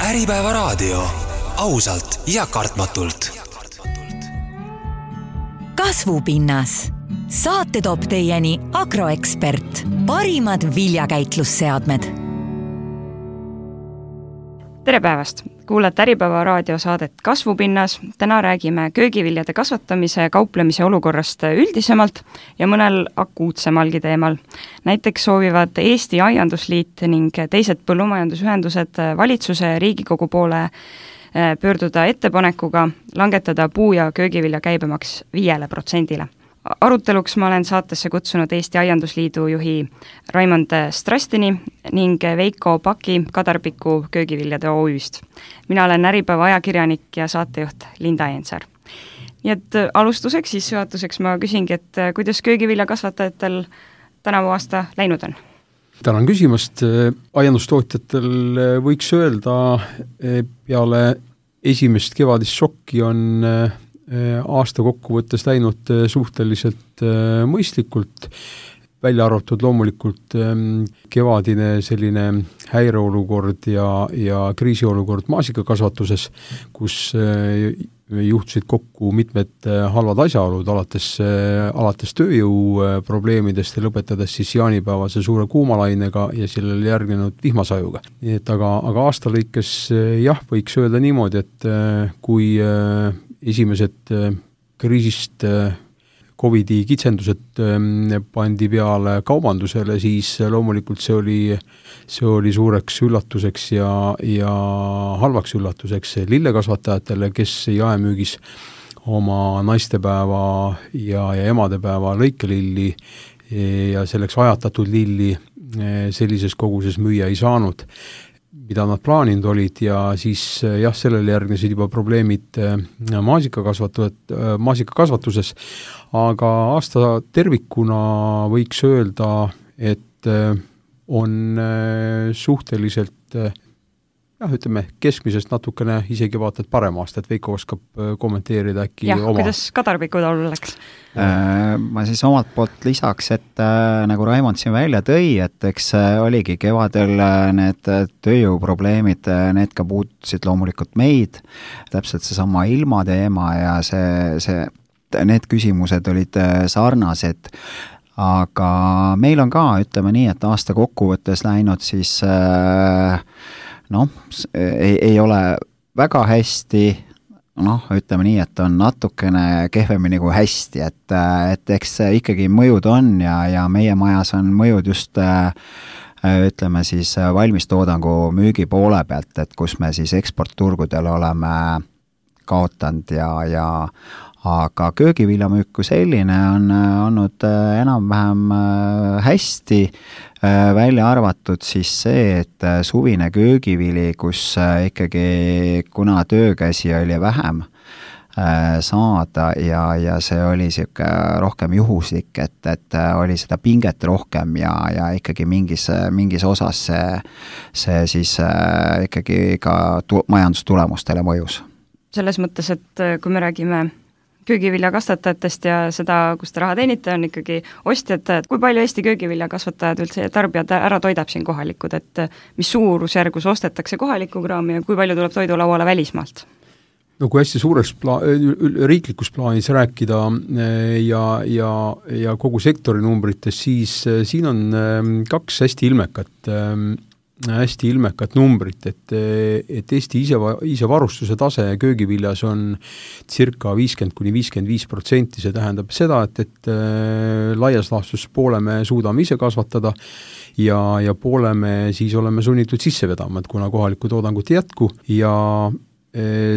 Äripäeva raadio. Ausalt ja kartmatult. Kasvupinnas. Saate toob teieni Agroekspert. Parimad viljakäitlusseadmed. Tere päevast! Kuulate Äripäeva raadiosaadet Kasvupinnas. Täna räägime köögiviljade kasvatamise ja kauplemise olukorrast üldisemalt ja mõnel akuutsemalgi teemal. Näiteks soovivad Eesti Aiandusliit ning teised põllumajandusühendused valitsuse ja Riigikogu poole pöörduda ettepanekuga langetada puu- ja köögivilja käibemaks 5%. Aruteluks ma olen saatesse kutsunud Eesti Aiandusliidu juhi Raimond Strastini ning Veiko Paki Kadarpiku köögiviljade OÜ-st. Mina olen Äripäeva ajakirjanik ja saatejuht Linda Eensaar. Nii et alustuseks, sissejuhatuseks ma küsingi, et kuidas köögiviljakasvatajatel tänavu aasta läinud on? Tänan küsimast. Aiandustootjatel võiks öelda, peale esimest kevadist šokki on aasta kokkuvõttes läinud suhteliselt mõistlikult, välja arvatud loomulikult kevadine selline häireolukord ja kriisiolukord maasikakasvatuses, kus juhtusid kokku mitmed halvad asjaolud, alates tööjõu probleemidest ja lõpetades siis jaanipäevase suure kuumalainega ja sellele järgnenud vihmasajuga. Nii et aga aasta lõikes jah, võiks öelda niimoodi, et kui esimesed kriisist Covidi kitsendused pandi peale kaubandusele, siis loomulikult see oli suureks üllatuseks ja halvaks üllatuseks lillekasvatajatele, kes jaemüügis oma naistepäeva ja emadepäeva lõikelilli ja selleks ajatatud lilli sellises koguses müüa ei saanud, mida nad plaaninud olid, ja siis jah, sellele järgnesid juba probleemid maasikakasvatuses, aga aasta tervikuna võiks öelda, et on suhteliselt ütleme, keskmisest natukene isegi vaatad parem aasta, et Veiko oskab kommenteerida äkki oma. Kuidas Kadarpiku taulu läks? Ma siis omalt poolt lisaks, et nagu Raimond siin välja tõi, et eks oligi kevadel need tööjõuprobleemid, need ka puutusid loomulikult meid, täpselt seesama ilmateema ja need küsimused olid sarnased, aga meil on ka, ütleme nii, et aasta kokkuvõttes läinud siis ei ole väga hästi, ütleme nii, et on natukene kehvemini kui hästi, et eks ikkagi mõjud on ja meie majas on mõjud just ütleme siis valmistoodangu müügi poole pealt, et kus me siis eksportturgudel oleme kaotanud aga köögiviljamüük kui selline on olnud enam-vähem hästi, välja arvatud siis see, et suvine köögivili, kus ikkagi kuna töökäsi oli vähem saada ja see oli siuke rohkem juhuslik, et oli seda pinget rohkem ja ikkagi mingis osas see siis ikkagi ka majandustulemustele mõjus. Selles mõttes, et kui me räägime köögiviljakasvatajatest ja seda, kus te raha teenite, on ikkagi ostjad, kui palju Eesti köögiviljakasvatajad üldse ja tarbijad ära toidab siin kohalikud, et mis suurusjärgus ostetakse kohalikku kraami ja kui palju tuleb toidulauale välismaalt? No kui hästi suureks riiklikus plaanis rääkida ja kogu sektori numbrites, siis siin on kaks hästi ilmekat numbrit, et Eesti isevarustuse tase köögiviljas on circa 50–55%, see tähendab seda, et laias laastus poole me suudame ise kasvatada ja poole me siis oleme sunnitud sisse vedama, et kuna kohalikku toodangut ei jätku ja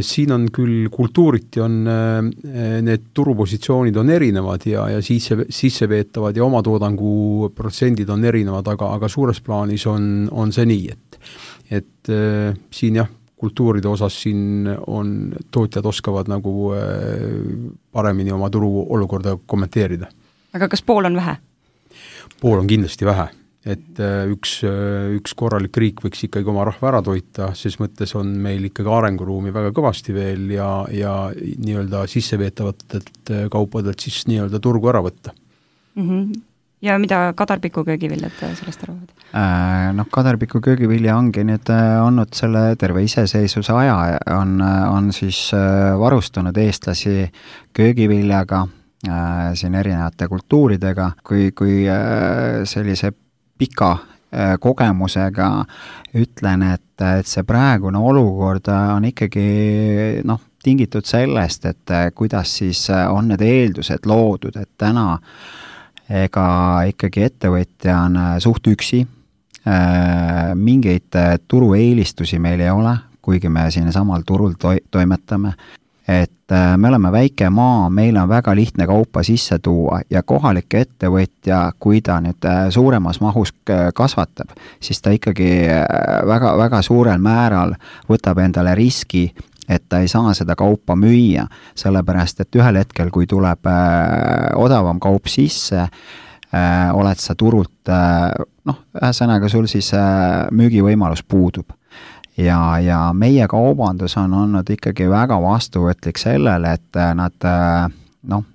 siin on küll kultuuriti on need turupositsioonid on erinevad ja sisseveetavad ja oma toodangu protsendid on erinevad, aga suures plaanis on see nii, et siin jah, kultuuride osas siin on tootjad oskavad nagu paremini oma turu olukorda kommenteerida. Aga kas pool on vähe? Pool on kindlasti vähe. Et üks korralik riik võiks ikkagi oma rahva ära toita, ses mõttes on meil ikkagi arenguruumi väga kõvasti veel ja nii-öelda sisseveetavatelt kaupadelt siis nii-öelda turgu ära võtta. Ja mida kadarpiku köögiviljad sellest arvavad? Kadarpiku köögivilja ongi nüüd olnud selle terve iseseisvuse aja, on siis varustanud eestlasi köögiviljaga, siin erinevate kultuuridega, kui sellise pika kogemusega ütlen, et see praegune olukord on ikkagi tingitud sellest, et kuidas siis on need eeldused loodud, et täna ega ikkagi ettevõtja on suht üksi, mingeid turueelistusi meil ei ole, kuigi me siin samal turul toimetame, et me oleme väike maa, meil on väga lihtne kaupa sisse tuua ja kohalik ettevõtja, kui ta nüüd suuremas mahus kasvatab, siis ta ikkagi väga, väga suurel määral võtab endale riski, et ta ei saa seda kaupa müüa, sellepärast et ühel hetkel, kui tuleb odavam kaup sisse, oled sa turult, ühesõnaga sul siis müügivõimalus puudub. Ja meie kaubandus on olnud ikkagi väga vastuvõtlik sellele, et nad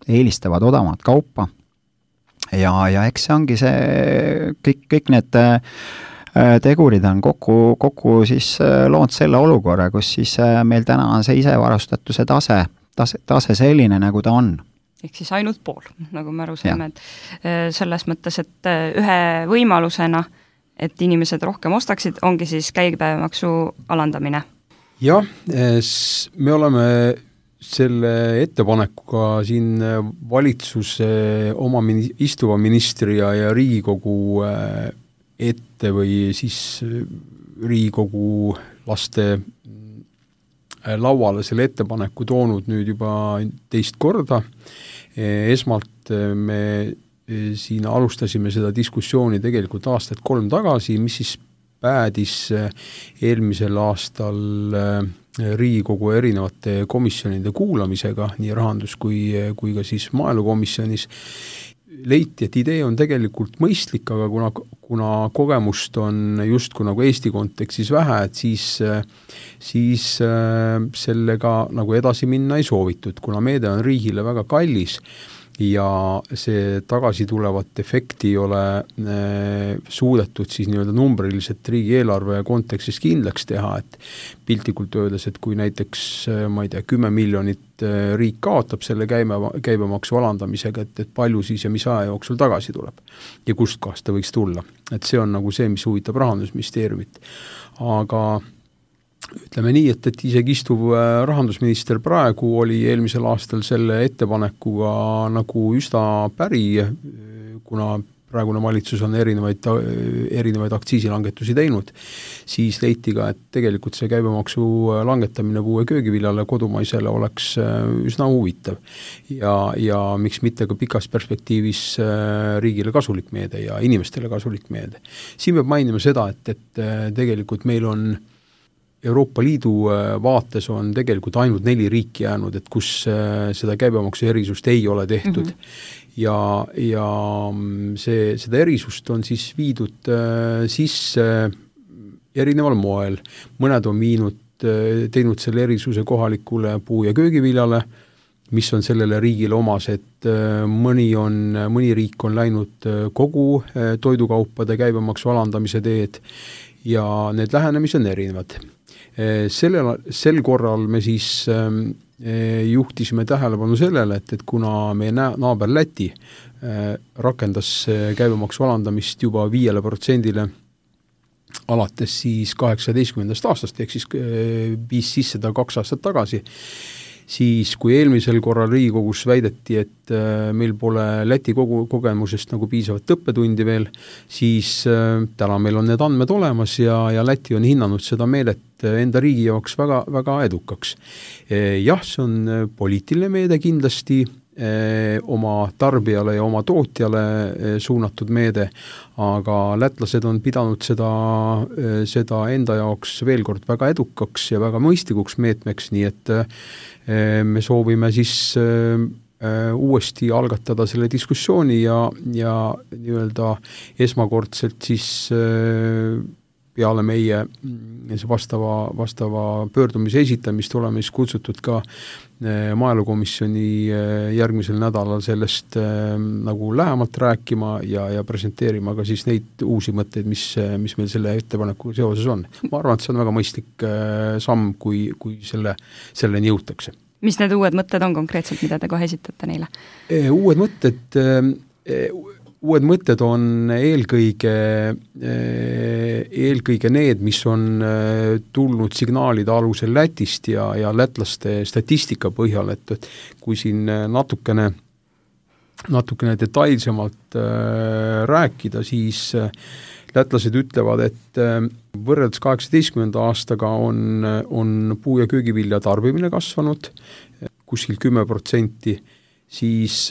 eelistavad odavat kaupa ja eks see ongi see, kõik need tegurid on kokku siis loonud selle olukorra, kus siis meil täna on see isevarustatuse tase selline, nagu ta on. Ehk siis ainult pool, nagu me aru saame, et selles mõttes, et ühe võimalusena et inimesed rohkem ostaksid, ongi siis käibemaksu alandamine. Jah, me oleme selle ettepanekuga siin valitsuse oma istuva ministri ja Riigikogu ette või siis Riigikogu laste lauale selle ettepaneku toonud nüüd juba teist korda. Esmalt me siin alustasime seda diskussiooni tegelikult aastat 3 tagasi, mis siis päädis eelmisel aastal Riigikogu erinevate komisjonide kuulamisega, nii rahandus kui ka siis maaelukomisjonis. Leiti, et idee on tegelikult mõistlik, aga kuna kogemust on justkui nagu Eesti kontekstis vähe, et siis sellega nagu edasi minna ei soovitud, kuna meede on riigile väga kallis ja see tagasi tulevat efekti ei ole suudetud siis nii-öelda numbriliselt riigieelarve kontekstis kindlaks teha, et piltlikult öeldes, et kui näiteks, ma ei tea, 10 miljonit riik kaotab selle käibemaksu alandamisega, et palju siis ja mis aja jooksul tagasi tuleb ja kust kohast ta võiks tulla. Et see on nagu see, mis huvitab Rahandusministeeriumit. Aga ütleme nii, et isegi istuv rahandusminister praegu oli eelmisel aastal selle ettepanekuga nagu üsna päri, kuna praegune valitsus on erinevaid aktsiisilangetusi teinud, siis leiti ka, et tegelikult see käibemaksu langetamine puue köögiviljale kodumaisele oleks üsna huvitav ja miks mitte ka pikas perspektiivis riigile kasulik meede ja inimestele kasulik meede. Siin peab mainima seda, et tegelikult meil on Euroopa Liidu vaates on tegelikult ainult 4 riiki jäänud, et kus seda käibemaksu erisust ei ole tehtud. Ja seda erisust on siis viidud sisse erineval moel. Mõned on teinud selle erisuse kohalikule puu- ja köögiviljale, mis on sellele riigile omas, et mõni riik on läinud kogu toidukaupade käibemaksu alandamise teed ja need lähenemised on erinevad. Sel korral me siis juhtisime tähelepanu sellele, et kuna meie naaber Läti rakendas käibemaksu alandamist juba 5%-le alates siis 18. aastast, ehk siis viis sisse ta 2 aastat tagasi, siis kui eelmisel korral Riigikogus väideti, et meil pole Läti kogemusest nagu piisavat õppetundi veel, siis täna meil on need andmed olemas ja Läti on hinnanud seda meedet enda riigi jaoks väga, väga edukaks. Jah, see on poliitiline meede kindlasti, oma tarbijale ja oma tootjale suunatud meede, aga lätlased on pidanud seda enda jaoks veel kord väga edukaks ja väga mõistlikuks meetmeks, nii et me soovime siis uuesti algatada selle diskussiooni ja nii-öelda esmakordselt siis peale meie vastava pöördumise esitamist oleme siis kutsutud ka maaelukomisjoni järgmisel nädalal sellest nagu lähemalt rääkima ja presenteerima ka siis neid uusi mõtteid, mis meil selle ettepanekuga seoses on. Ma arvan, et see on väga mõistlik samm, kui selleni jõutakse. Mis need uued mõtted on konkreetselt, mida te kohe esitate neile? Uued mõtted on eelkõige need, mis on tulnud signaalide alusel Lätist ja lätlaste statistika põhjal, et kui siin natukene detailsemalt rääkida, siis lätlased ütlevad, et võrreldes 18. aastaga on puu- ja köögivilja tarbimine kasvanud kuskil 10%, siis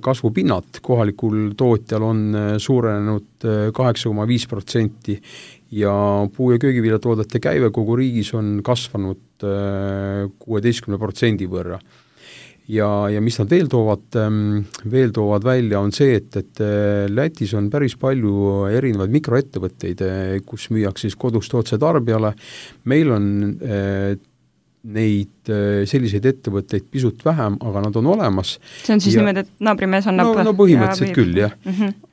kasvupinnad kohalikul tootjal on suurenenud 8,5% ja puu- ja köögiviljatoodete käive kogu riigis on kasvanud 16% võrra. Ja mis nad veel toovad välja, on see, et Lätis on päris palju erinevaid mikroettevõtteid, kus müüakse siis kodust otse tarbijale. Meil on neid selliseid ettevõtteid pisut vähem, aga nad on olemas. See on siis niimoodi, et naabrimees annab... No põhimõtteliselt küll, jah.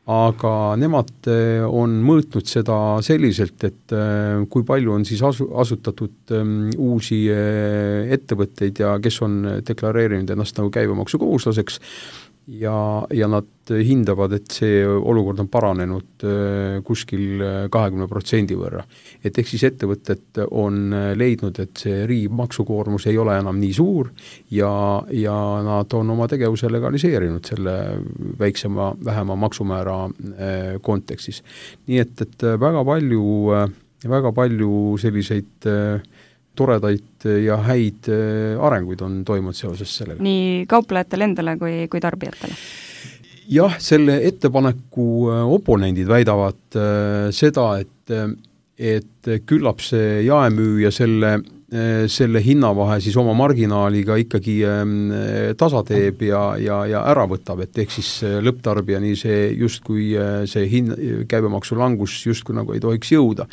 Aga nemad on mõõtnud seda selliselt, et kui palju on siis asutatud uusi ettevõtteid ja kes on deklareerinud ennast nagu käibemaksukohuslaseks ja nad hindavad, et see olukord on paranenud kuskil 20% võrra. Et ehk siis ettevõtted on leidnud, et see riigi maksukoormus ei ole enam nii suur ja nad on oma tegevuse legaliseerinud selle vähema maksumäära kontekstis. Nii et väga palju selliseid toredaid ja häid arenguid on toimunud seoses sellega. Nii kauplejatele endale kui tarbijatele? Jah, selle ettepaneku oponendid väidavad seda, et küllap see jaemüüja selle hinnavahe siis oma marginaaliga ikkagi tasa teeb ja ära võtab, et ehk siis lõpptarbijani see justkui see käibemaksu langus justkui nagu ei tohiks jõuda.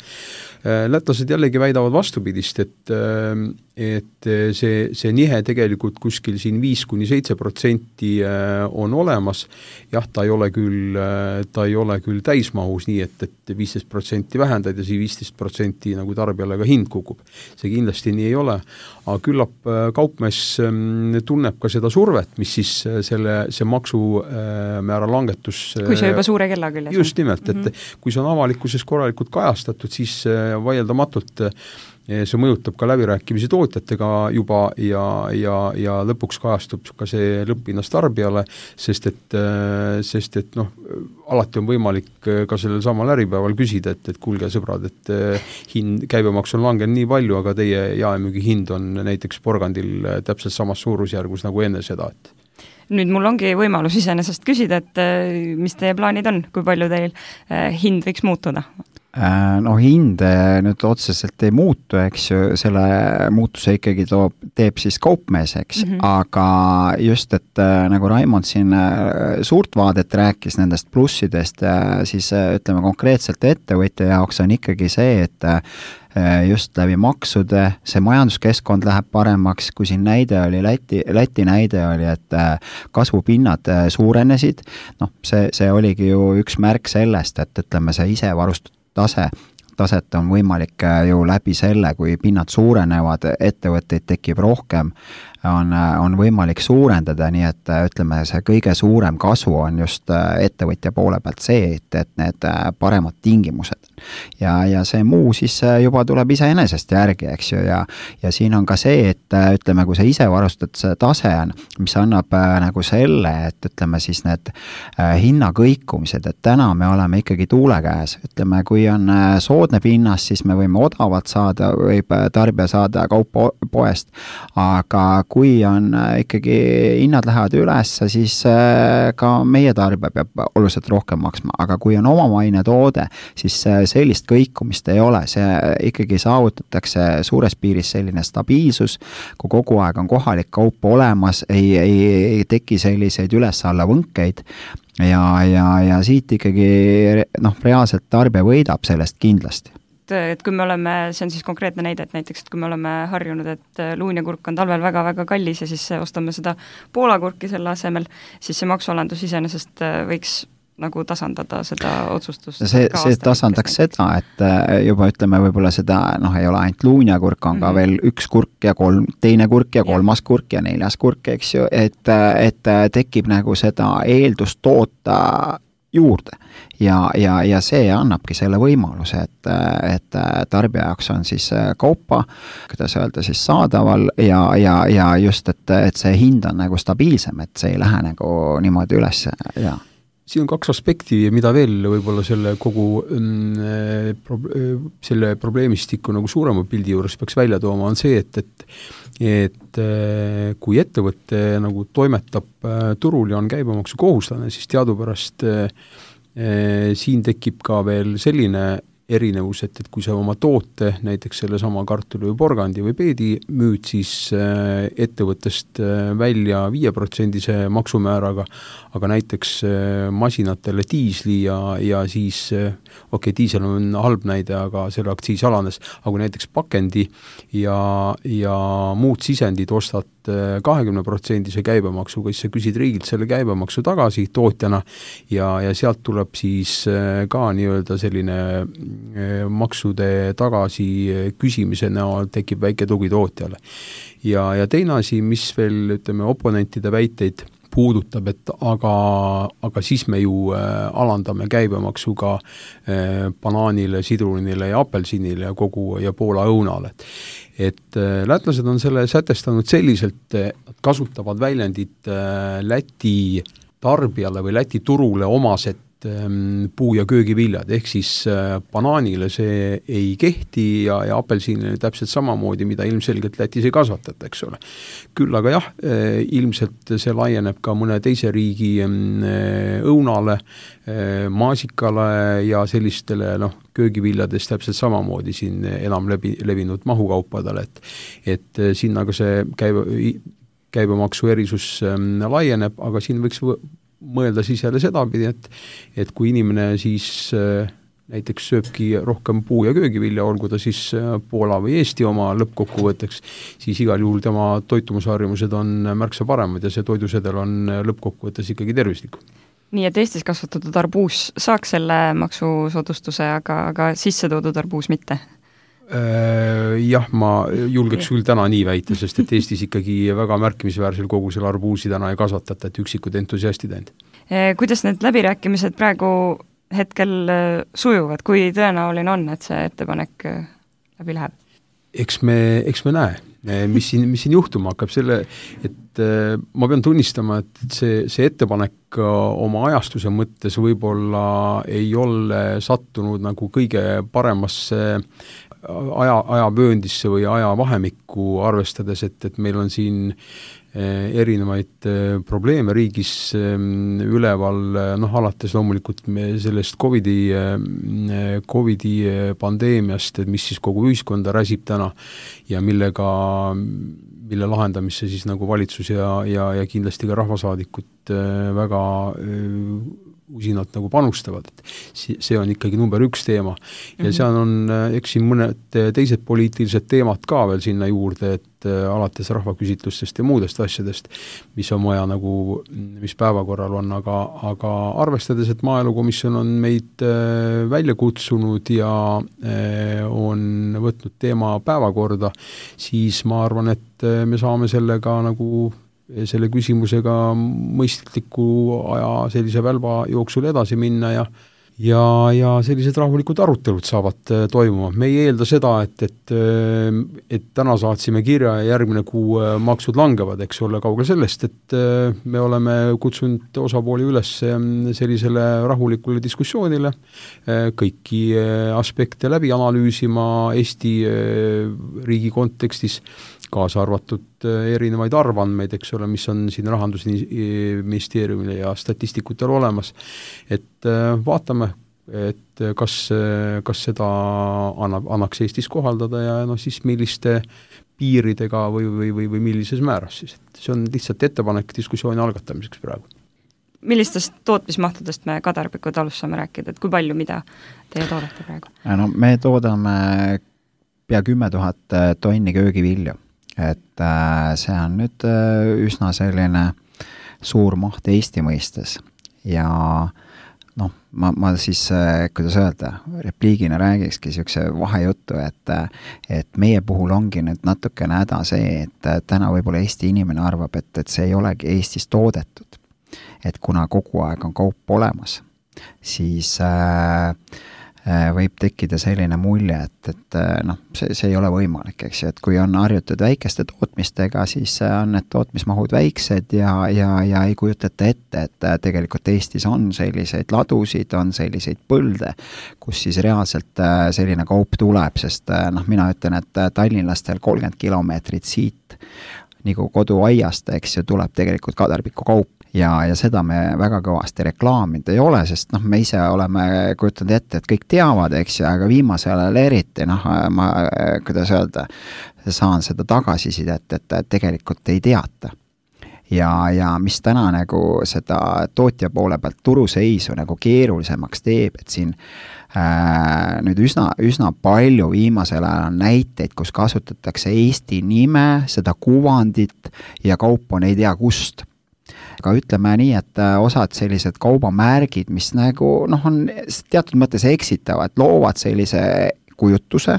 Lätlased jällegi väidavad vastupidist, et see nihe tegelikult kuskil siin 5-7% on olemas. Jah, ta ei ole küll täismahus nii, et 15% vähendad ja 15% nagu tarbijale ka hind kukub. See kindlasti nii ei ole, aga küllap kaupmees tunneb ka seda survet, mis siis see maksumäära langetus... Kui see juba suure kella küljes. Just nimelt, et kui see on avalikkuses korralikult kajastatud, siis vaieldamatult see mõjutab ka läbirääkimisi tootjatega juba ja lõpuks kajastub ka see lõpphinnast tarbijale, sest et alati on võimalik ka sellel samal äripäeval küsida, et kuulge sõbrad, et käibemaks on langenud nii palju, aga teie jaemüügi hind on näiteks porgandil täpselt samas suurusjärgus nagu enne seda, et nüüd mul ongi võimalus iseenesest küsida, et mis teie plaanid on, kui palju teil hind võiks muutuda? Hind nüüd otseselt ei muutu, eks ju, selle muutuse ikkagi teeb siis kaupmees, eks, aga just, et nagu Raimond siin suurt vaadet rääkis nendest plussidest, siis ütleme konkreetselt ettevõtja jaoks on ikkagi see, et just läbi maksude, see majanduskeskkond läheb paremaks, kui siin näide oli, Läti näide oli, et kasvupinnad suurenesid, see oligi ju üks märk sellest, et ütleme, see isevarustatud taset on võimalik ju läbi selle, kui pinnad suurenevad, ettevõtteid tekib rohkem, on võimalik suurendada, nii et ütleme, see kõige suurem kasu on just ettevõtja poole pealt see, et need paremad tingimused. Ja see muu siis juba tuleb iseenesest järgi, eks ju, ja siin on ka see, et ütleme, kui see isevarustatud tase on, mis annab nagu selle, et ütleme siis need hinnakõikumised, et täna me oleme ikkagi tuule käes, ütleme, kui on soodne pinnas, siis me võime odavalt saada, võib tarbija saada kaupa poest, aga kui on ikkagi hinnad lähevad üles, siis ka meie tarbija peab oluliselt rohkem maksma, aga kui on omamaine toode, siis sellist kõikumist ei ole, see ikkagi saavutatakse suures piiris selline stabiilsus, kui kogu aeg on kohalik kaup olemas, ei teki selliseid üles-alla võnkeid ja siit ikkagi reaalselt tarbija võidab sellest kindlasti. et kui me oleme, see on siis konkreetne näide, et näiteks, et kui me oleme harjunud, et luuniakurk on talvel väga-väga kallis ja siis ostame seda Poola kurki selle asemel, siis see maksualandus iseenesest võiks nagu tasandada seda otsustust. See tasandaks seda, et juba ütleme võib-olla seda, ei ole ainult luuniakurk, on ka veel üks kurk ja teine kurk ja kolmas kurk ja neljas kurk, eks ju, et tekib nagu seda eeldust toota juurde ja see annabki selle võimaluse, et tarbija jaoks on siis kaupa, kuidas öelda siis saadaval ja just, et see hind on nagu stabiilsem, et see ei lähe nagu niimoodi üles ja siin on kaks aspekti, mida veel võib-olla selle kogu selle probleemistiku nagu suurema pildi juures peaks välja tooma, on see, et kui ettevõte nagu toimetab turul ja on käibemaksu kohuslane, siis teadupärast siin tekib ka veel selline erinevus, et kui sa oma toote, näiteks selle sama kartuli või porgandi või peedi müüd siis ettevõttest välja 5% maksumääraga, aga näiteks masinatele diisli ja siis, diisel on halb näide, aga selle aktsiis alanes, aga näiteks pakendi ja muud sisendid ostad 20% käibemaksuga, siis sa küsid riigilt selle käibemaksu tagasi tootjana ja sealt tuleb siis ka nii-öelda selline maksude tagasi küsimise näol tekib väike tugi tootjale. Ja teine asi, mis veel, ütleme, oponentide väiteid puudutab, et aga siis me ju alandame käibemaksuga banaanile, sidrunile ja apelsinile ja Poola õunale. Et lätlased on selle sätestanud selliselt, et kasutavad väljendit Läti tarbijale või Läti turule omased puu- ja köögiviljad, ehk siis banaanile see ei kehti ja apelsinile täpselt samamoodi, mida ilmselgelt Lätis ei kasvatata, eks ole. Küll aga jah, ilmselt see laieneb ka mõne teise riigi õunale, maasikale ja sellistele köögiviljades täpselt samamoodi siin enam levinud mahukaupadele, et sinna ka see käibemaksu erisus laieneb, aga siin võiks mõelda siis jälle sedapidi, et kui inimene siis näiteks sööbki rohkem puu- ja köögivilja, olgu ta siis Poola või Eesti oma lõppkokkuvõtteks, siis igal juhul tema toitumusharjumused on märksa paremad ja see toidusedel on lõppkokkuvõttes ikkagi tervislik. Nii, et Eestis kasvatatud arbuus saaks selle maksusoodustuse, aga sisse toodud arbuus mitte? Jah, ma julgeks küll täna nii väita, sest et Eestis ikkagi väga märkimisväärsel kogusel arbuusi täna ei kasvatata, et üksikud entusiastid ainult. Kuidas need läbirääkimised praegu hetkel sujuvad, kui tõenäoline on, et see ettepanek läbi läheb? Eks me näe, mis siin juhtuma hakkab, et ma pean tunnistama, et see ettepanek oma ajastuse mõttes võib-olla ei ole sattunud nagu kõige paremasse ajavööndisse või ajavahemikku arvestades, et meil on siin erinevaid probleeme riigis üleval, alates loomulikult sellest COVID-i pandeemiast, et mis siis kogu ühiskonda räsib täna ja mille lahendamisse siis nagu valitsus ja kindlasti ka rahvasaadikud väga usinalt nagu panustavad, et see on ikkagi number 1 teema. Ja seal on, eks siin mõned teised poliitilised teemad ka veel sinna juurde, et alates rahvaküsitlustest ja muudest asjadest, mis on vaja nagu, mis päevakorral on, aga arvestades, et Maaelukomisjon on meid välja kutsunud ja on võtnud teema päevakorda, siis ma arvan, et me saame sellega nagu selle küsimusega mõistliku aja sellise välba jooksul edasi minna ja sellised rahulikud arutelud saavad toimuma. Me ei eelda seda, et täna saatsime kirja ja järgmine kuu maksud langevad, eks ole, kaugel sellest, et me oleme kutsunud osapooli üles sellisele rahulikule diskussioonile, kõiki aspekte läbi analüüsima Eesti riigi kontekstis, kaasa arvatud erinevaid arvandmeid, eks ole, mis on siin Rahandusministeeriumile ja statistikutel olemas, et vaatame, et kas seda annaks Eestis kohaldada ja siis milliste piiridega või millises määras siis, et see on lihtsalt ettepanek diskussiooni algatamiseks praegu. millistest tootmismahtudest me Kadarpiku talus saame rääkida, et kui palju, mida teie toodate praegu? No me toodame pea 10 000 tonni köögivilju, et see on nüüd üsna selline suur maht Eesti mõistes ja noh, ma siis, kuidas öelda, repliigina räägikski niisuguse vahejuttu, et meie puhul ongi nüüd natukene häda see, et täna võib-olla Eesti inimene arvab, et see ei olegi Eestis toodetud. Et kuna kogu aeg on kaup olemas, siis võib tekkida selline mulje, et noh, see ei ole võimalik, eks ju, et kui on harjutud väikeste tootmistega, siis on need tootmismahud väiksed ja ei kujutata ette, et tegelikult Eestis on selliseid ladusid, on selliseid põlde, kus siis reaalselt selline kaup tuleb, sest noh, mina ütlen, et tallinlastel 30 kilomeetrit siit nagu koduaiast, eks ju, tuleb tegelikult Kadarpiku kaup. Ja seda me väga kõvasti reklaamid ei ole, sest noh, me ise oleme kujutanud ette, et kõik teavad, eks ju, aga viimasel ajal eriti, noh, ma, kuidas öelda, saan seda tagasisidet, et tegelikult ei teata. Ja mis täna nagu seda tootja poole pealt turuseisu nagu keerulisemaks teeb, et siin nüüd üsna palju viimasel ajal on näiteid, kus kasutatakse Eesti nime, seda kuvandit ja kaup on ei tea kust. Aga ütleme nii, et osad sellised kaubamärgid, mis nagu noh, on teatud mõttes eksitavad, loovad sellise kujutuse,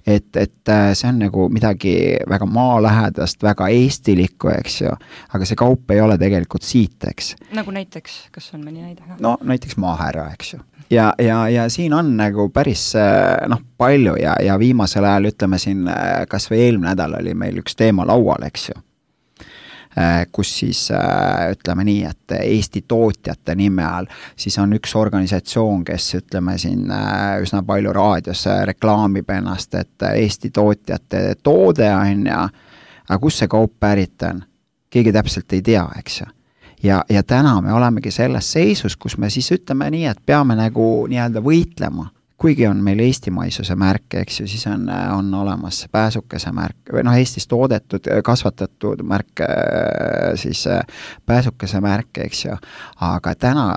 et see on nagu midagi väga maalähedast, väga eestilikku, eks ju, aga see kaup ei ole tegelikult siit, eks. Nagu näiteks, kas on mõni näide? No näiteks maahärra, eks ju. Ja siin on nagu päris noh, palju ja viimasel ajal ütleme siin, kas või eelmine nädal oli meil üks teema laual, eks ju. Kus siis ütleme nii, et Eesti tootjate nime all, siis on üks organisatsioon, kes ütleme siin üsna palju raadios reklaamib ennast, et Eesti tootjate toode on aga kus see kaup pärit on? Keegi täpselt ei tea, eks ju. Ja täna me olemegi selles seisus, kus me siis ütleme nii, et peame nagu nii-öelda võitlema. Kuigi on meil eestimaisuse märk, eks ju, siis on olemas pääsukese märk, või noh, Eestis toodetud, kasvatatud märk, siis pääsukese märk, eks ju. Aga täna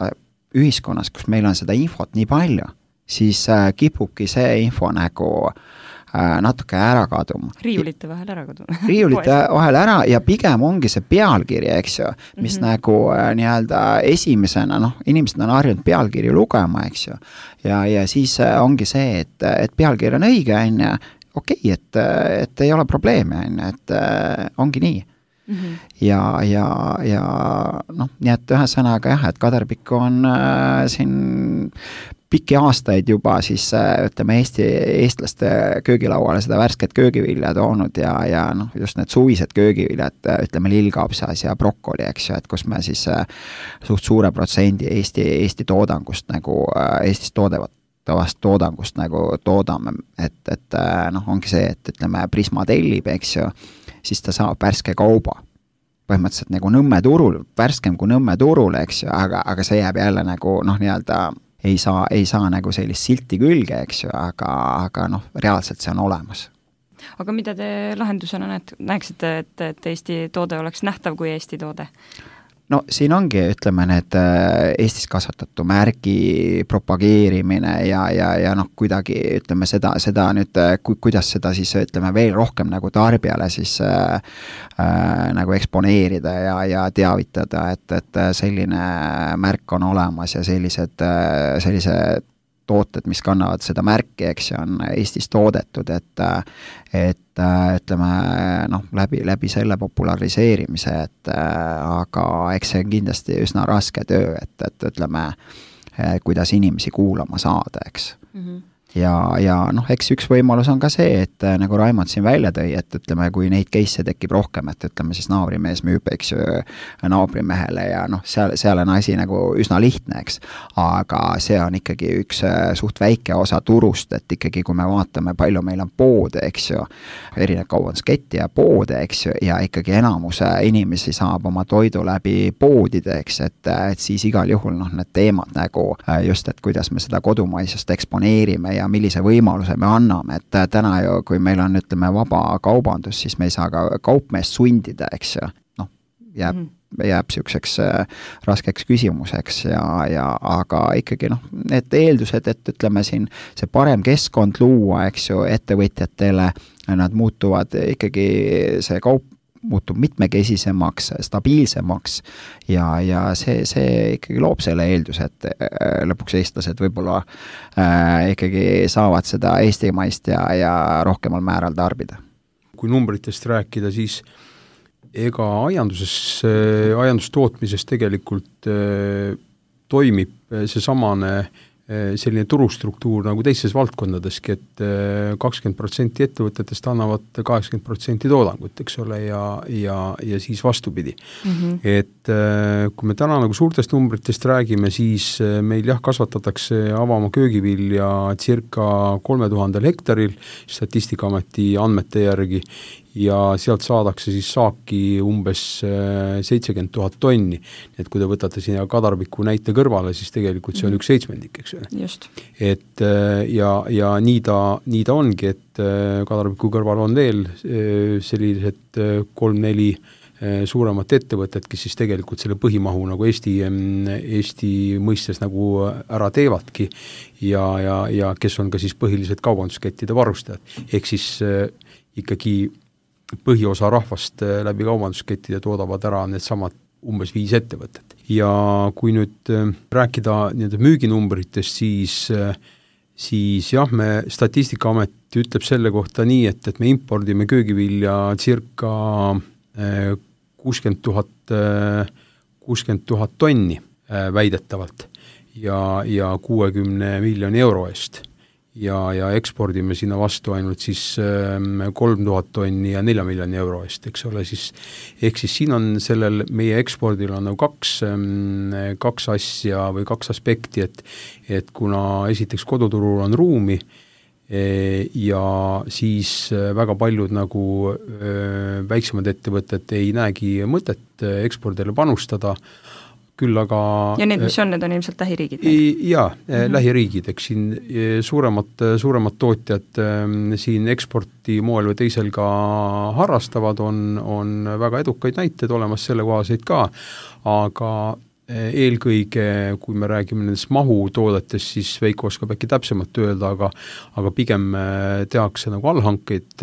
ühiskonnas, kus meil on seda infot nii palju, siis kipubki see info nagu natuke ära kaduma. Riiulite vahel ära kaduma. Riiulite vahel ära ja pigem ongi see pealkiri, eks ju, mis nagu nii-öelda esimesena, noh, inimesed on harjunud pealkiri lugema, eks ju, ja siis ongi see, et pealkiri on õige, okei, et ei ole probleemi, et ongi nii. Ja noh, nii et ühesõnaga jah, et Kadarpik on siin pikki aastaid juba siis ütleme eestlaste köögilauale seda värsket köögivilja toonud ja noh, just need suvised köögiviljad, ütleme lillkapsas ja brokkoli, eks ju, et kus me siis suht suure protsendi Eesti toodangust nagu Eestis toodavast toodangust nagu toodame, et noh, ongi see, et ütleme Prisma tellib, eks ju, siis ta saab värske kauba. Põhimõtteliselt nagu Nõmme turul, värskem kui Nõmme turul, eks ju, aga see jääb jälle nagu noh, nii-öelda ei saa nagu sellist silti külge, eks ju, aga noh, reaalselt see on olemas. Aga mida te lahendusena näeksite, et Eesti toode oleks nähtav kui Eesti toode? No siin ongi, ütleme, need Eestis kasvatatu märgi propageerimine ja noh, kuidagi ütleme seda nüüd, kuidas seda siis ütleme veel rohkem nagu tarbijale siis nagu eksponeerida ja teavitada, et selline märk on olemas ja sellise tooted, mis kannavad seda märki, eks on Eestis toodetud, et ütleme, noh, läbi selle populariseerimise, aga eks see on kindlasti üsna raske töö, et ütleme, kuidas inimesi kuulama saada, eks. Ja noh, eks üks võimalus on ka see, et nagu Raimond siin välja tõi, et ütleme, kui neid case'e tekib rohkem, et ütleme siis naabrimees müüb, eks ju, naabrimehele ja noh, seal on asi nagu üsna lihtne, eks. Aga see on ikkagi üks suht väike osa turust, et ikkagi kui me vaatame, palju meil on poode, eks ju, erinev kaubandusketti ja poode, eks ju, ja ikkagi enamuse inimesi saab oma toidu läbi poodide, eks, et siis igal juhul noh, need teemad nagu just, et kuidas me seda kodumaisust eksponeerime ja millise võimaluse me anname, et täna ju, kui meil on, ütleme, vaba kaubandus, siis me ei saa ka kaupmeest sundida, eks ju. Noh, jääb jääb niisuguseks raskeks küsimuseks aga ikkagi need eeldused, et ütleme siin see parem keskkond luua, eks ju, ettevõtjatele, nad muutuvad ikkagi, see kaup muutub mitmekesisemaks, stabiilsemaks ja see ikkagi loob selle eelduse, et lõpuks eestlased võib-olla ikkagi saavad seda eestimaist ja rohkemal määral tarbida. Kui numbritest rääkida, siis ega aiandustootmises tegelikult toimib seesamane selline turustruktuur nagu teistes valdkondadeski, et 20% ettevõtetest annavad 80% toodangut, eks ole, ja siis vastupidi. Et kui me täna nagu suurtest numbritest räägime, siis meil kasvatatakse avamaa köögivilja circa 3000 hektaril Statistikaameti andmete järgi ja sealt saadakse siis saaki umbes 70 000 tonni. Et kui te võtate sinna kadarbiku näite kõrvale, siis tegelikult see on 1/7, eks ole. Just. Et ja nii ta ongi, et kadarbiku kõrval on veel sellised 3-4 suuremat ettevõtet, kes siis tegelikult selle põhimahu nagu Eesti mõistes nagu ära teevadki ja kes on ka siis põhilised kaubanduskettide varustajad. Ehk siis ikkagi põhiosa rahvast läbi kaubanduskettide toodavad ära needsamad umbes 5 ettevõtet. Ja kui nüüd rääkida müüginumbritest, siis jah, Statistikaamet ütleb selle kohta nii, et me impordime köögivilja circa 60 000 tonni väidetavalt ja 60 miljoni euro eest. Ja ekspordime sinna vastu ainult siis 3000 tonni ja 4 miljoni euro eest, eks ole, siis ehk siis siin on sellel meie ekspordil on nagu kaks asja või 2 aspekti, et kuna esiteks koduturul on ruumi ja siis väga paljud nagu väiksemad ettevõtted ei näegi mõtet ekspordile panustada, küll aga ja need, mis on, need on ilmselt lähiriigid? Jaa, lähiriigid, eks siin suuremad tootjad siin eksporti moel või teisel ka harrastavad, on väga edukaid näiteid olemas selle kohaseid ka, aga eelkõige, kui me räägime nendest mahutoodetest, siis Veiko oskab äkki täpsemalt öelda, aga pigem tehakse nagu allhankeid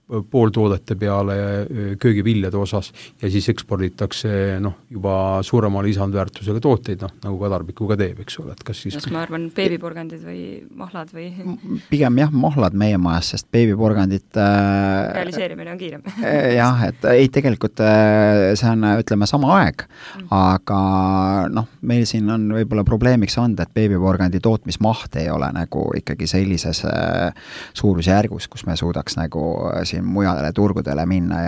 pooltoodete peale köögiviljade osas ja siis eksporditakse juba suurema lisandväärtusega tooteid, nagu kadarbikuga teeb, eks ole, et kas siis... ma arvan, beebiporgandid või mahlad või... Pigem jah, mahlad meie majas, sest beebiporgandit... realiseerimine on kiirem. Jah, et ei, tegelikult see on, ütleme, sama aeg, aga meil siin on võib-olla probleemiks olnud, et beebiporgandi tootmismaht ei ole nagu ikkagi sellises suurusjärgus, kus me suudaks nagu mujale turgudele minna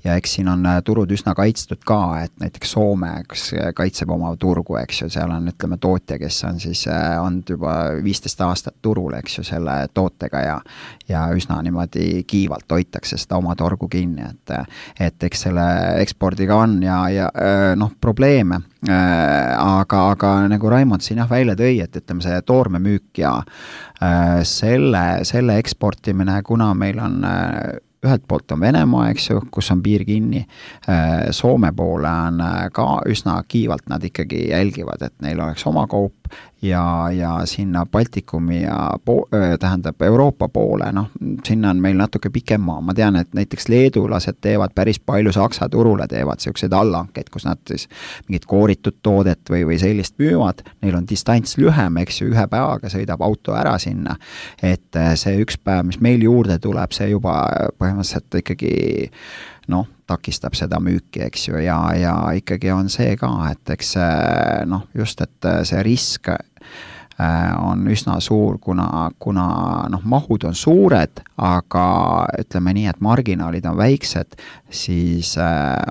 ja eks siin on turud üsna kaitstud ka, et näiteks Soome kaitseb oma turgu, eks ju, seal on, ütleme, tootja, kes on siis olnud juba 15 aastat turul, eks ju, selle tootega ja üsna niimoodi kiivalt hoitakse seda oma torgu kinni, et eks selle ekspordiga on ja probleeme, aga nagu Raimond siin välja tõi, et ütleme, see toormemüük ja selle eksportimine, kuna meil on ühelt poolt on Venemaa, eks ju, kus on piir kinni, Soome poole on ka üsna kiivalt nad ikkagi jälgivad, et neil oleks oma kaup ja sinna Baltikumi ja tähendab Euroopa poole, sinna on meil natuke pikem maa. Ma tean, et näiteks leedulased teevad päris palju Saksa turule, teevad selliseid allhankeid, kus nad siis mingit kooritud toodet või sellist müüvad, neil on distants lühem, eks ju, 1 päevaga sõidab auto ära sinna, et see 1 päev, mis meil juurde tuleb, see juba põhimõtteliselt ikkagi takistab seda müüki, eks ju, ja ikkagi on see ka, et eks just, et see risk on üsna suur, kuna mahud on suured, aga ütleme nii, et marginaalid on väiksed, siis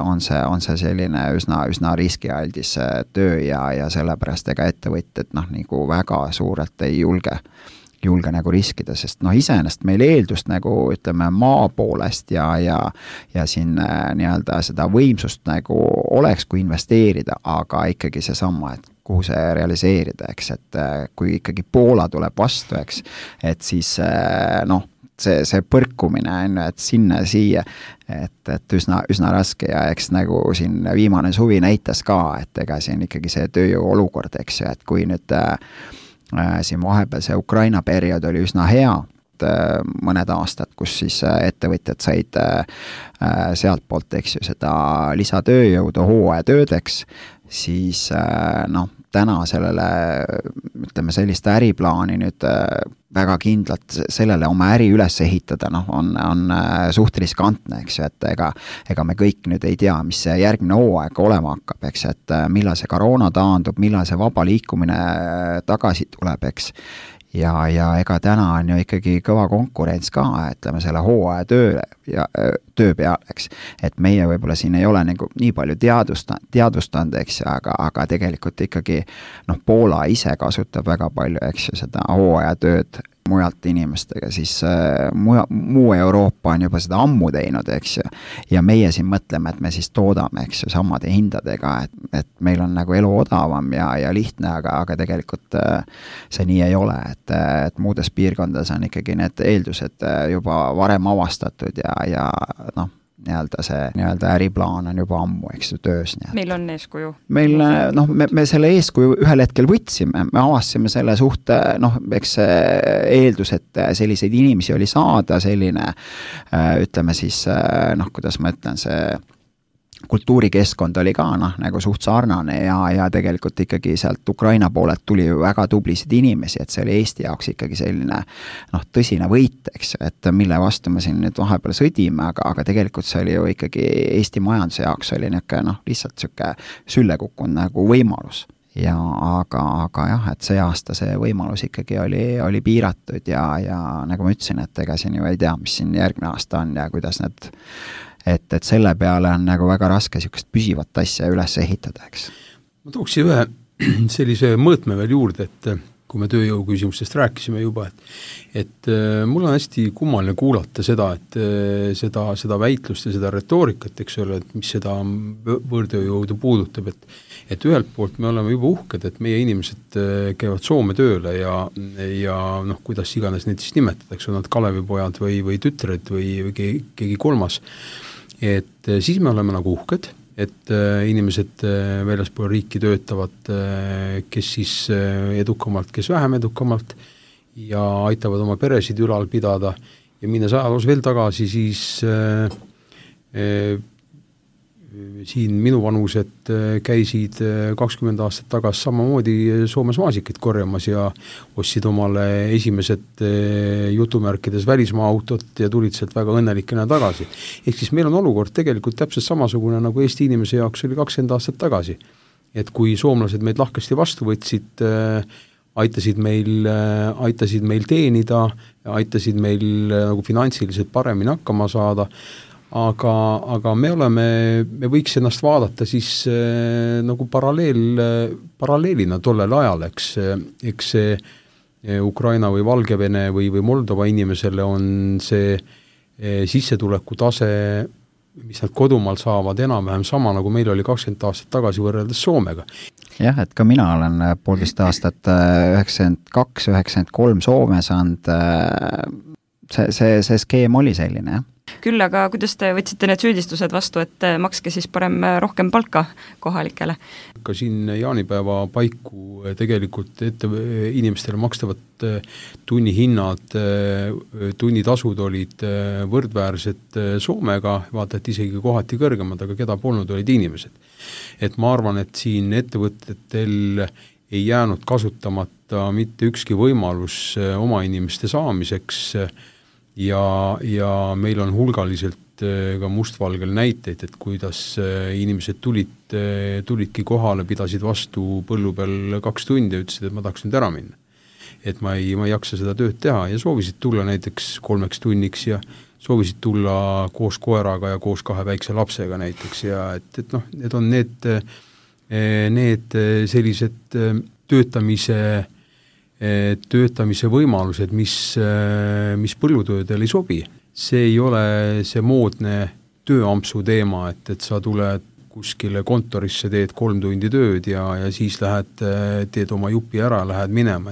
on see selline üsna riskialdis töö ja sellepärast ega ettevõtjad nagu väga suurelt ei julge nagu riskida, sest iseenesest meil eeldust nagu ütleme maa poolest ja siin nii-öelda seda võimsust nagu oleks, kui investeerida, aga ikkagi seesama, et kuhu see realiseerida, eks, et kui ikkagi Poola tuleb vastu, eks, et siis see põrkumine on ju, et sinna siia, et üsna raske ja eks nagu siin viimane suvi näitas ka, et ega siin ikkagi see tööjõu olukord, eks ju, et kui nüüd siin vahepeal see Ukraina periood oli üsna hea, mõned aastad, kus siis ettevõtjad said sealt poolt, eks ju, seda lisatööjõudu hooajatöödeks, siis täna sellele, ütleme, sellist äriplaani nüüd väga kindlalt sellele oma äri üles ehitada, on suht riskantne, eks ju, et ega me kõik nüüd ei tea, mis see järgmine hooaeg olema hakkab, eks, et millal see koroona taandub, millal see vaba liikumine tagasi tuleb, eks. Ja ega täna on ju ikkagi kõva konkurents ka, ütleme, selle hooaja töö peal, eks. Et meie võib-olla siin ei ole nagu nii palju teadvustanud, eks, aga tegelikult ikkagi Poola ise kasutab väga palju, eks ju, seda hooaja tööd mujalt inimestega, siis muu Euroopa on juba seda ammu teinud, eks ju, ja meie siin mõtleme, et me siis toodame, eks ju, samade hindadega, et meil on nagu elu odavam ja lihtne, aga tegelikult see nii ei ole, et muudes piirkondades on ikkagi need eeldused juba varem avastatud ja nii-öelda äriplaan on juba ammu, eks ju, töös. Meil on eeskuju? Meil, me selle eeskuju ühel hetkel võtsime, me avastasime selle suhte, eks eeldus, et selliseid inimesi oli saada, selline, ütleme siis, kuidas ma ütlen, see kultuurikeskkond oli ka nagu suht sarnane ja tegelikult ikkagi sealt Ukraina poolelt tuli väga tublisid inimesi, et see oli Eesti jaoks ikkagi selline tõsine võit, eks, et mille vastu me siin nüüd vahepeal sõdime, aga tegelikult see oli ju ikkagi Eesti majanduse jaoks oli lihtsalt siuke sülle kukkunud nagu võimalus. Ja aga jah, et see aasta see võimalus ikkagi oli piiratud ja nagu ma ütlesin, et ega siin ju ei tea, mis siin järgmine aasta on ja kuidas need et selle peale on nagu väga raske niisugust püsivat asja üles ehitada, eks. Ma tooksin ühe sellise mõõtme veel juurde, et kui me tööjõu küsimustest rääkisime juba, et mul on hästi kummaline kuulata seda, et seda väitlust ja seda retoorikat, eks ole, et mis seda võõrtööjõudu puudutab, et ühelt poolt me oleme juba uhked, et meie inimesed käivad Soome tööle ja kuidas iganes neid siis nimetatakse, on nad Kalevipojad või tütred või keegi kolmas, et siis me oleme nagu uhked, et inimesed väljaspool riiki töötavad, kes siis edukamalt, kes vähem edukamalt ja aitavad oma peresid ülal pidada ja minnes ajaloos veel tagasi, siis siin minu vanused käisid 20 aastat tagasi samamoodi Soomes maasikaid korjamas ja ostsid omale esimesed jutumärkides välismaa autot ja tulid sealt väga õnnelikena tagasi. Ehk siis meil on olukord tegelikult täpselt samasugune nagu Eesti inimese jaoks oli 20 aastat tagasi. Et kui soomlased meid lahkesti vastu võtsid, aitasid meil teenida, aitasid meil nagu finantsiliselt paremini hakkama saada, aga me võiks ennast vaadata siis nagu paralleelina tollel ajal, eks see Ukraina või Valgevene või Moldova inimesele on see sissetuleku tase, mis nad kodumaal saavad enam-vähem sama, nagu meil oli 20 aastat tagasi võrreldes Soomega. Jah, et ka mina olen 1,5 aastat 92-93 Soomes saanud, see skeem oli selline, jah. Küll, aga kuidas te võtsite need süüdistused vastu, et makske siis parem rohkem palka kohalikele? Ka siin jaanipäeva paiku tegelikult inimestele makstavad tunnihinnad, tunnitasud olid võrdväärsed Soomega, vaata, et isegi kohati kõrgemad, aga keda polnud, olid inimesed. Et ma arvan, et siin ettevõtetel ei jäänud kasutamata mitte ükski võimalus oma inimeste saamiseks ja meil on hulgaliselt ka mustvalgel näiteid, et kuidas inimesed tulidki kohale, pidasid vastu põllu peal 2 tundi ja ütlesid, et ma tahaks nüüd ära minna. Et ma ei jaksa seda tööd teha ja soovisid tulla näiteks 3 tunniks ja soovisid tulla koos koeraga ja koos 2 väikse lapsega näiteks ja et need on need sellised töötamise võimalused, mis põllutöödel ei sobi. See ei ole see moodne tööampsu teema, et sa tuled, kuskile kontorisse, teed 3 tundi tööd ja siis teed oma jupi ära, lähed minema.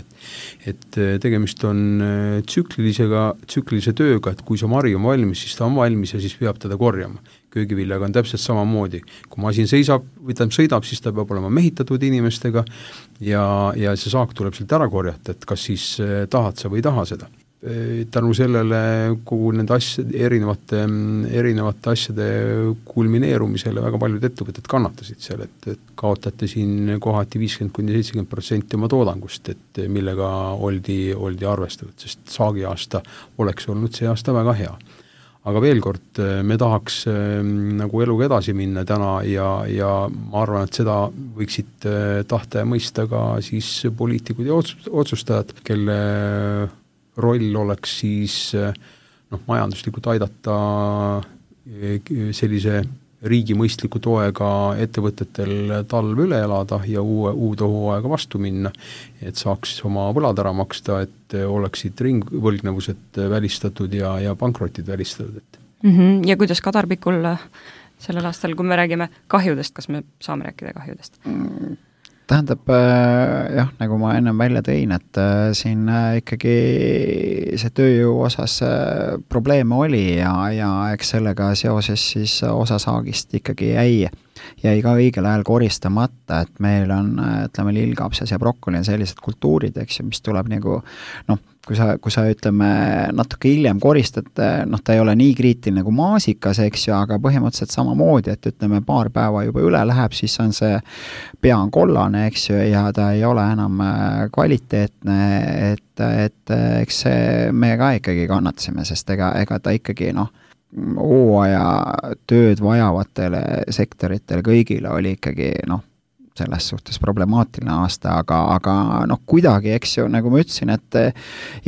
Et tegemist on tsüklilise tööga, et kui see mari on valmis, siis ta on valmis ja siis peab teda korjama. Köögiviljaga on täpselt samamoodi. Kui masin sõidab, siis ta peab olema mehitatud inimestega ja see saak tuleb sealt ära korjata, et kas siis tahad sa või ei taha seda. Tänu sellele kogu nende erinevate asjade kulmineerumisele väga paljud ettevõtted kannatasid seal, et kaotate siin kohati 50-70% oma toodangust, et millega oldi arvestatud, sest saagi aasta oleks olnud see aasta väga hea. Aga veel kord, me tahaks nagu eluga edasi minna täna ja ma arvan, et seda võiksid tahta ja mõista ka siis poliitikud ja otsustajad, kelle roll oleks siis majanduslikult aidata sellise riigi mõistliku toega ettevõtetel talv üle elada ja uude hooaega vastu minna, et saaks oma võlad ära maksta, et oleksid ringvõlgnevused välistatud ja pankrotid välistatud. Ja kuidas Kadarpikul sellel aastal, kui me räägime kahjudest, kas me saame rääkida kahjudest? Tähendab, jah, nagu ma ennem välja tõin, et siin ikkagi see tööjõu osas probleeme oli ja eks sellega seoses siis osa saagist ikkagi jäi ka õigel ajal koristamata, et meil on, ütleme, lillkapsas ja brokkoli on sellised kultuurid, eks ju, mis tuleb nagu, kui sa ütleme natuke hiljem koristad, ta ei ole nii kriitiline nagu maasikas, eks ju, aga põhimõtteliselt samamoodi, et ütleme paar päeva juba üle läheb, siis on see pea on kollane, eks ju, ja ta ei ole enam kvaliteetne, et eks me ka ikkagi kannatasime, sest ega ta ikkagi hooaja tööd vajavatele sektoritele kõigile oli ikkagi selles suhtes problemaatiline aasta, aga kuidagi, eks ju, nagu ma ütlesin, et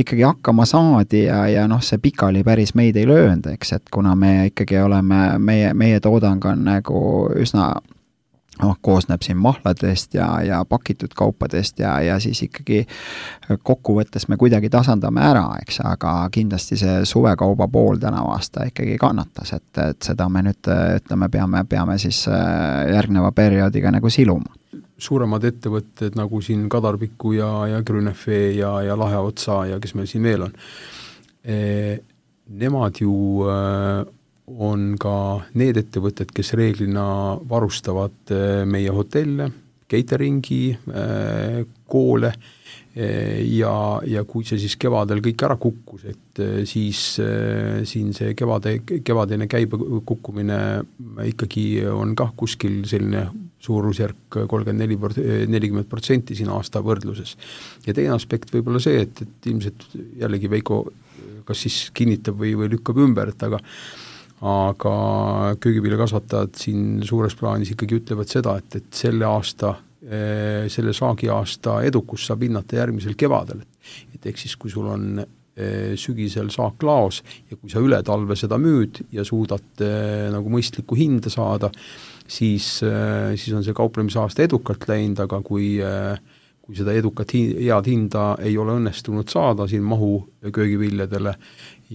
ikkagi hakkama saadi ja see pikali päris meid ei löönud, eks, et kuna me ikkagi oleme, meie toodang on nagu üsna koosneb siin mahladest ja pakitud kaupadest ja siis ikkagi kokkuvõttes me kuidagi tasandame ära, eks, aga kindlasti see suvekauba pool tänavu aasta ikkagi kannatas, et seda me nüüd, ütleme, peame siis järgneva perioodiga nagu siluma. Suuremad ettevõtted nagu siin Kadarpiku ja Grünefe ja Laheotsa ja kes meil siin veel on, nemad ju on ka need ettevõtted, kes reeglina varustavad meie hotelle, cateringi, koole ja kui see siis kevadel kõik ära kukkus, et siis siin see kevadine käibe kukkumine ikkagi on kah kuskil selline suurusjärk 30-40% siin aasta võrdluses. Ja teine aspekt võib olla see, et ilmselt jällegi Veiko kas siis kinnitab või lükkab ümber, et aga köögiviljakasvatajad siin suures plaanis ikkagi ütlevad seda, et selle saagi aasta edukus saab hinnata järgmisel kevadel. Et ehk siis, kui sul on sügisel saak laos ja kui sa üle talve seda müüd ja suudad nagu mõistlikku hinda saada, siis on see kauplemise aasta edukalt läinud, aga kui seda edukat head hinda ei ole õnnestunud saada siin mahu köögiviljadele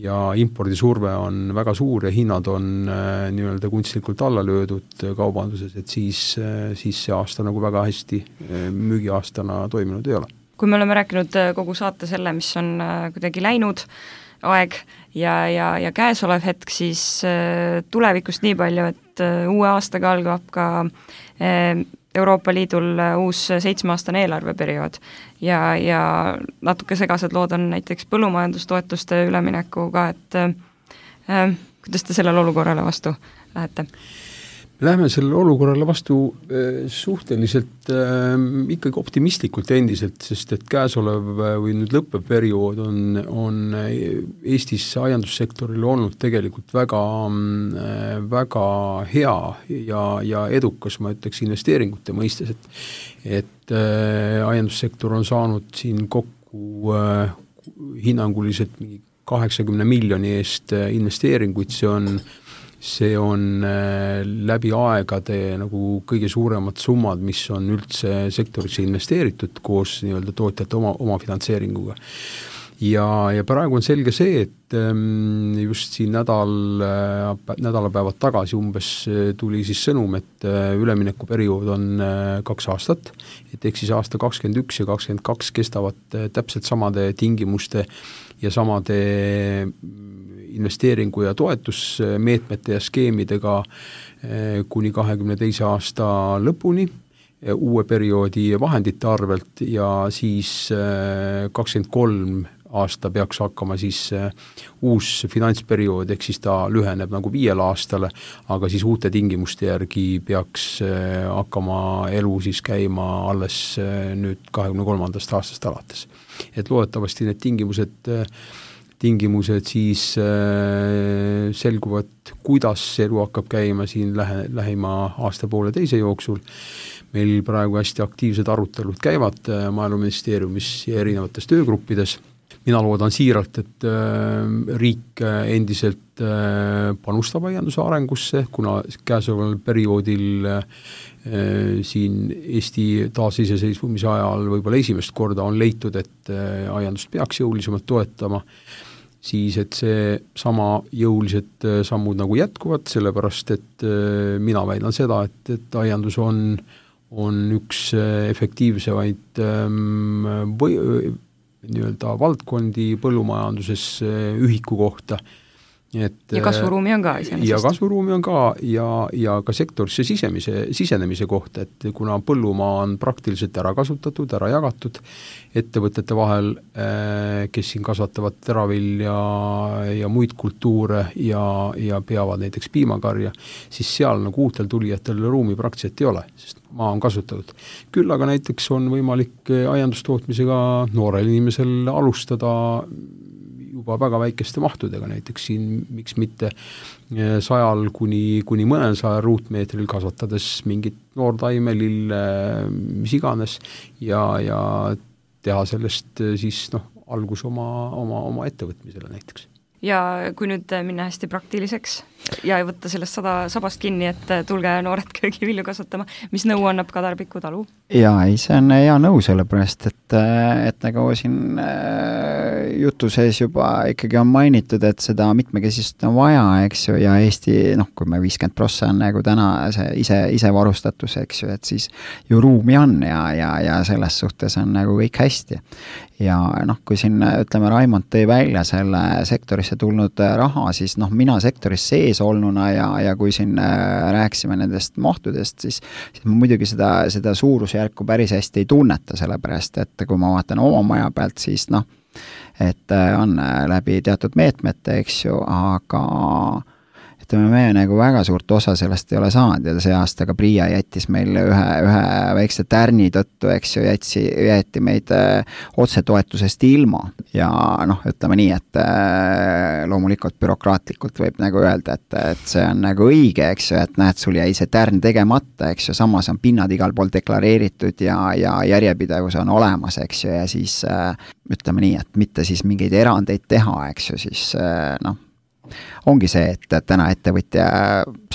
ja impordisurve on väga suur ja hinnad on nii-öelda kunstlikult alla löödud kaubanduses, et siis see aasta nagu väga hästi müügiaastana toiminud ei ole. Kui me oleme rääkinud kogu saate selle, mis on kuidagi läinud aeg ja käesolev hetk, siis tulevikust nii palju, et uue aastaga algab ka Euroopa Liidul uus 7-aastane eelarveperiood ja natuke segased lood on näiteks põllumajandustoetuste üleminekuga, et kuidas te sellele olukorrale vastu lähete? Lähme sellele olukorrale vastu suhteliselt ikkagi optimistlikult endiselt, sest et käesolev või nüüd lõppev periood on Eestis aiandussektoril olnud tegelikult väga hea ja edukas, ma ütleks, investeeringute mõistes, et aiandussektor on saanud siin kokku hinnanguliselt 80 miljoni eest investeeringuid, see on läbi aegade nagu kõige suuremad summad, mis on üldse sektorisse investeeritud koos nii-öelda tootjate oma finantseeringuga. ja praegu on selge see, et just siin nädalapäevad tagasi umbes tuli siis sõnum, et üleminekuperiood on 2 aastat, et ehk siis aasta 2021 ja 2022 kestavad täpselt samade tingimuste ja samade investeeringu- ja toetusmeetmete ja skeemidega kuni 2022. aasta lõpuni uue perioodi vahendite arvelt ja siis 23 aasta peaks hakkama siis uus finantsperiood, ehk siis ta lüheneb nagu 5 aastale, aga siis uute tingimuste järgi peaks hakkama elu siis käima alles nüüd 23. aastast alates. Et loodetavasti need tingimused siis selguvad, kuidas elu hakkab käima siin lähima aasta poole teise jooksul. Meil praegu hästi aktiivsed arutelud käivad Maaeluministeeriumis ja erinevates töögruppides. Mina loodan siiralt, et riik endiselt panustab aianduse arengusse, kuna käesoleval perioodil siin Eesti taasiseseisvumise ajal võib-olla esimest korda on leitud, et aiandust peaks jõulisemalt toetama, siis et see sama jõulised sammud nagu jätkuvad, sellepärast et mina väidan seda, et aiandus on üks efektiivsemaid nii-öelda valdkondi põllumajanduses ühiku kohta. Ja kasvuruumi on ka iseenesest. Ja kasvuruumi on ka ja ka sektorisse sisenemise kohta, et kuna põllumaa on praktiliselt ära kasutatud, ära jagatud ettevõtete vahel, kes siin kasvatavad teravilja ja muid kultuure ja peavad näiteks piimakarja, siis seal nagu uutel tulijatel ruumi praktiliselt ei ole, sest maa on kasutatud. Küll aga näiteks on võimalik aiandustootmisega noorel inimesel alustada juba väga väikeste mahtudega, näiteks siin miks mitte 100 kuni mõnel 100 ruutmeetril kasvatades mingit noortaime, lille, mis iganes ja teha sellest siis algus oma ettevõtmisele näiteks. Ja kui nüüd minna hästi praktiliseks ja võtta sellest sabast kinni, et tulge noored köögivilju kasvatama, mis nõu annab Kadarpiku talu? Jaa, see on hea nõu sellepärast, et nagu siin jutu sees juba ikkagi on mainitud, et seda mitmekesist on vaja, eks ju, ja Eesti, kui me 50% on nagu täna see ise varustatus, eks ju, et siis ju ruumi on ja selles suhtes on nagu kõik hästi. Ja kui siin, ütleme, Raimond tõi välja selle sektorisse tulnud raha, siis mina sektoris sees olnuna ja kui siin rääkisime nendest mahtudest, siis ma muidugi seda suurusjärku päris hästi ei tunneta, sellepärast, et kui ma vaatan oma maja pealt, siis et on läbi teatud meetmete, eks ju, aga ütleme, me nagu väga suurt osa sellest ei ole saanud ja see aasta ka Priia jättis meil ühe väikse tärni tõttu, eks ju, jäeti meid otsetoetusest ilma ja ütleme nii, et loomulikult bürokraatlikult võib nagu öelda, et see on nagu õige, eks ju, et näed, sul jäi see tärn tegemata, eks ju, samas on pinnad igal pool deklareeritud ja järjepidevus on olemas, eks ju, ja siis ütleme nii, et mitte siis mingeid erandeid teha, eks ju, siis ongi see, et täna ettevõtja,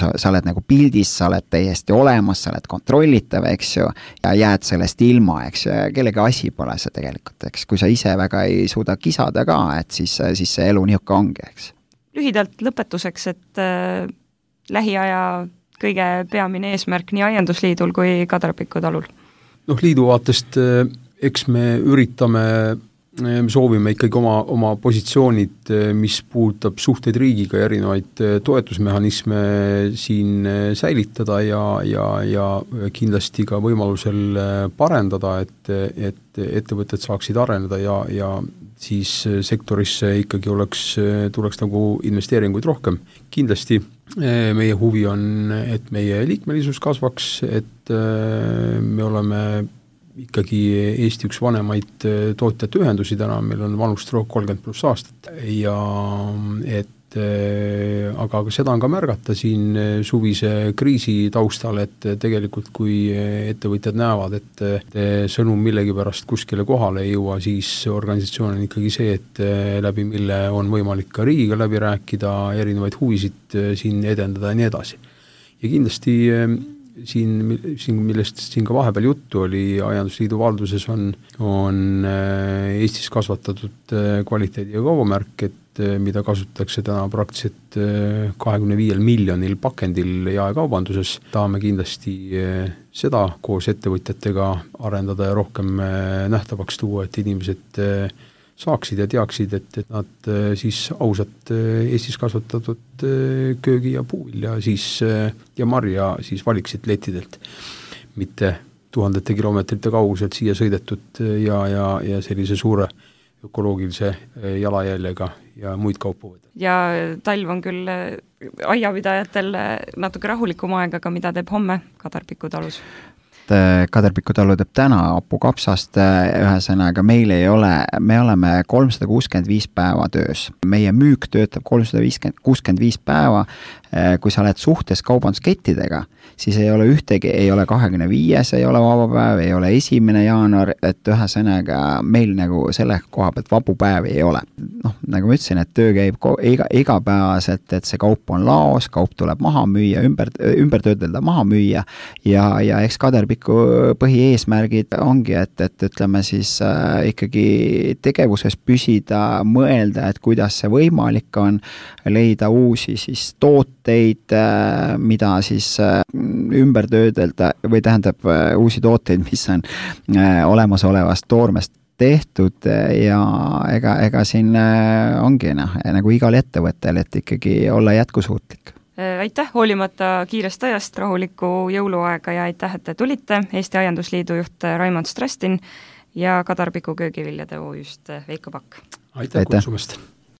sa oled nagu pildis, sa oled täiesti olemas, sa oled kontrollitav, eks ju, ja jääd sellest ilma, eks ju, kellegi asi pole see tegelikult, eks, kui sa ise väga ei suuda kisada ka, et siis see elu nihuke ongi, eks. Lühidalt lõpetuseks, et lähiaja kõige peamine eesmärk nii Aiandusliidul kui Kadarpiku talul? Liidu vaatest eks me üritame me soovime ikkagi oma positsioonid, mis puudutab suhteid riigiga ja erinevaid toetusmehhanisme siin säilitada ja kindlasti ka võimalusel parendada, et ettevõtted saaksid areneda ja siis sektorisse ikkagi tuleks nagu investeeringuid rohkem. Kindlasti meie huvi on, et meie liikmelisus kasvaks, et me oleme ikkagi Eesti üks vanemaid tootjate ühendusi täna, meil on vanust 30+ aastat ja aga seda on ka märgata siin suvise kriisi taustal, et tegelikult kui ettevõtjad näevad, et sõnum millegi pärast kuskile kohale ei jõua, siis organisatsioon on ikkagi see, et läbi mille on võimalik ka riigiga läbi rääkida, erinevaid huvisid siin edendada ja nii edasi. Ja kindlasti millest siin ka vahepeal juttu oli, Aiandusliidu valduses on Eestis kasvatatud kvaliteedi- ja kaubamärk, mida kasutatakse täna praktiliselt 25 miljonil pakendil jaekaubanduses. Tahame kindlasti seda koos ettevõtjatega arendada ja rohkem nähtavaks tuua, et inimesed saaksid ja teaksid, et nad siis ausalt Eestis kasvatatud köögi- ja puuvilja ja marja siis valiksid lettidelt, mitte tuhandete kilomeetrite kauguselt siia sõidetud ja sellise suure ökoloogilise jalajäljega ja muid kaupu võtta. Ja talv on küll aiapidajatel natuke rahulikum aeg, aga mida teeb homme Kadarpiku talus? Kadarpiku talu teeb täna hapukapsast, ühesõnaga meil ei ole, me oleme 365 päeva töös. Meie müük töötab 365 päeva, kui sa oled suhtes kaubanduskettidega, siis ei ole ühtegi, ei ole 25, ei ole vaba päev, ei ole 1. jaanuar, et ühesõnaga meil nagu selle koha pealt vabu päevi ei ole. Noh, nagu ma ütlesin, et töö käib igapäevaselt, et see kaup on laos, kaup tuleb maha müüa, ümber töödelda maha müüa ja eks Kadarpiku põhieesmärgid ongi, et ütleme siis ikkagi tegevuses püsida, mõelda, et kuidas see võimalik on, leida uusi siis tooteid, mida siis ümber töödelda või tähendab uusi tooteid, mis on olemasolevast toormest tehtud ja ega siin ongi nagu igal ettevõttel, et ikkagi olla jätkusuutlik. Aitäh hoolimata kiirest ajast, rahulikku jõuluaega ja aitäh, et te tulite, Eesti Aiandusliidu juht Raimond Strastin ja Kadarpiku köögiviljade OÜ-st Veiko Pakk. Aitäh kutsumast!